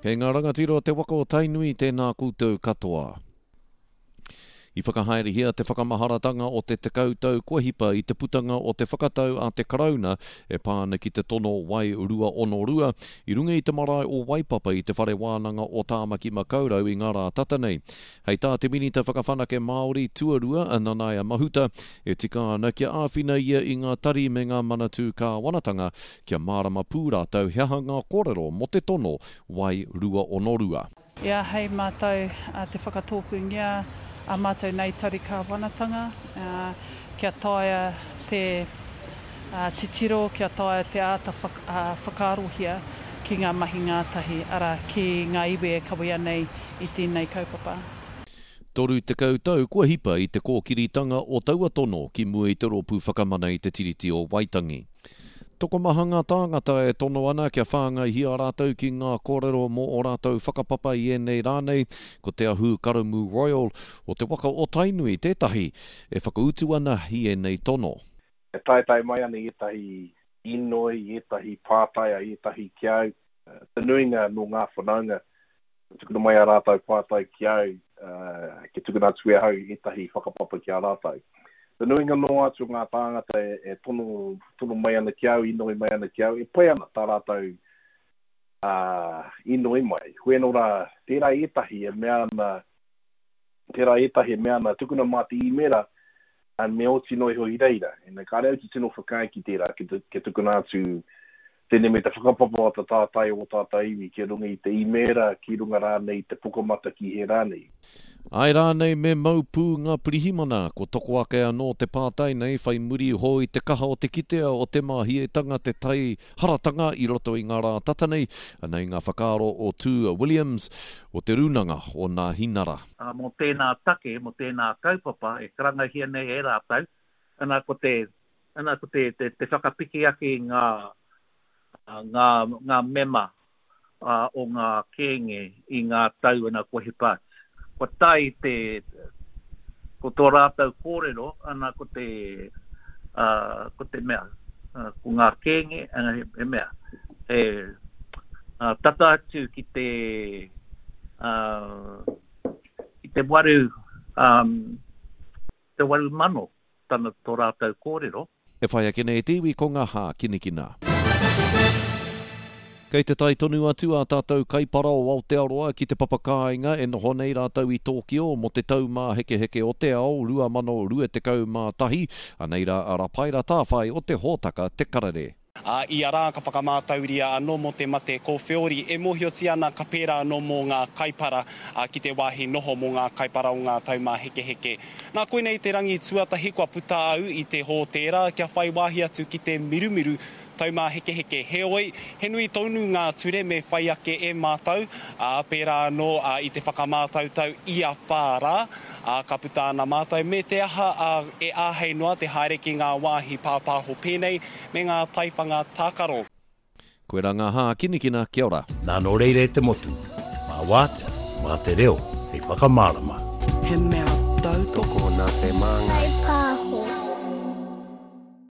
Kei ngā rangatira o te waka o Tainui tēnā koutou katoa. I whakahaerehia te whakamaharatanga o te tekau tau kua hipa i te putanga o te whakatau a te Karauna e pā ana ki te tono Wai 262 i runga i te marae o Waipapa i te Whare Wānanga o Tāmaki Makaurau i ngā rā tata nei. Hei tā te Minita Whakawhanake Māori tuarua a Nanaia Mahuta, e tika ana kia āwhina ia i ngā tari me ngā manatū kāwanatanga kia mārama pū rātou he aha ngā kōrero mō te tono Wai 262. I āhei mātou te whakatōpūngia ā mātou nei tari kāwanatanga kia taea te titiro, kia taea te āta whakaarohia ki ngā mahi ngātahi, arā, ki ngā iwi e kawea nei i tēnei kaupapa. 30 tau kua hipa i te kōkiritanga o taua tono ki mua i te Rōpū Whakamana i te Tiriti o Waitangi. Tokomaha ngā tāngata e tono ana kia whāngaihia rātou ki ngā kōrero mō ō rātou whakapapa i ēnei rā nei, ko Te Ahu Karamu Royal o te waka o Tainui tētahi e whakautu ana i ēnei tono. E taetae mai ana ētahi inoi, ētahi pātai a ētahi ki au, te nuinga nō ngā whanaunga Ka tukuna mai ā rātou pātai ki au, kia tukuna atu e ahau ētahi whakapapa ki a rātou. Te nuinga noa atu o ngā tāngata e tono, tono mai ana ki au, inoi mai ana ki au, e pai ana tā rātou inoi mai. Hoi anō rā, tērā ētahi e mea ana, tērā ētahi e mea ana, tukuna mā te īmēra, me oti noa iho i reira. Ina, kāre au te tino whakaae ki tērā, kia tukuna atu tēnei me te whakapapa o ta tātai o tātai iwi ki runga i te īmēra, ki runga rānei i te pukamata ki hē rānei. Āe rānei me mau pū ngā pirihimana? Ko toko ake anō te pātai nei whai muri iho i te kaha o te kitea o te māhietanga te tai haratanga i roto i ngā rā tata nei, anei ngā whakaaro o Tū Williams o Te Rūnanga o Nāhinara. Ā, mō tēnā take, mō tēnā kaupapa e karangahia nei e rātou, ana ko te, ana ko te, te, te whakapiki ake i ngā, ngā, ngā mema o ngā kēnge i ngā tau ana kua hipa atu. Kua tae te, ko tō rātou kōrero, ana ko te, ā, ko te mea, ko ngā kēnge, ana he, he mea, he, ā, tata atu ki te, ā, ki te waru, ā, te 8,000 tana, tō rātou kōrero. E whai ake nei te iwi ko ngā hākinakina. Kei te tae tonu atu ā tātou kaipara o Aotearoa ki te papakāinga e noho nei rātou i Tōkio mō te Taumāhekeheke o te Ao 2021, anei rā a Rapaera Tāwhai o te hōtaka Te Karere. Ā, ia rā ka whakamātauria anō mō te mate kōwheori, e mōhiotia ana ka pērā anō mō ngā kaipara, ā, ki te wāhi noho mō ngā kaipara o ngā taumāhekeheke. Nā, koinei te rangi tuatahi kua puta au i te hōtēra kia whai wāhi atu ki te mirumiru taumāhekeheke. Heoi, he nui tonu ngā ture me whai ake e mātou, ā, pērā anō i te whakamātautau ia whā rā, ā, ka puta ana mātou me te aha, ā, e āhei noa te haere ki ngā wāhi pāpāho pēnei me ngā taiwhanga tākaro. Koirā ngā hākinakina, kia ora. Nā nō reira e te motu, mā wātea, mā te reo hei whakamārama. He mea tautoko. Tokona te māngai.